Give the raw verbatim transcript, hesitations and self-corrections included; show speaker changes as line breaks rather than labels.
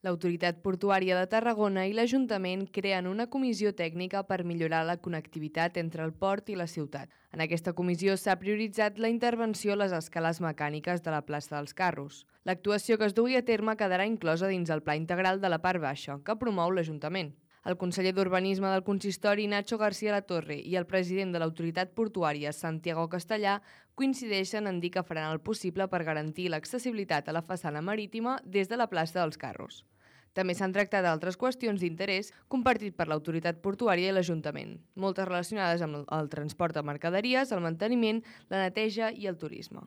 L'Autoritat Portuària de Tarragona i l'Ajuntament creen una comissió tècnica per millorar la connectivitat entre el port i la ciutat. En aquesta comissió s'ha prioritzat la intervenció a les escales mecàniques de la plaça dels Carros. L'actuació que es dugui a terme quedarà inclosa dins el pla integral de la part baixa, que promou l'Ajuntament. El conseller d'Urbanisme del Consistori, Nacho García Latorre, i el president de l'Autoritat Portuària, Santiago Castellà, coincideixen en dir que faran el possible per garantir l'accessibilitat a la façana marítima des de la plaça dels Carros. També s'han tractat altres qüestions d'interès compartit per l'Autoritat Portuària i l'Ajuntament, moltes relacionades amb el transport de mercaderies, el manteniment, la neteja i el turisme.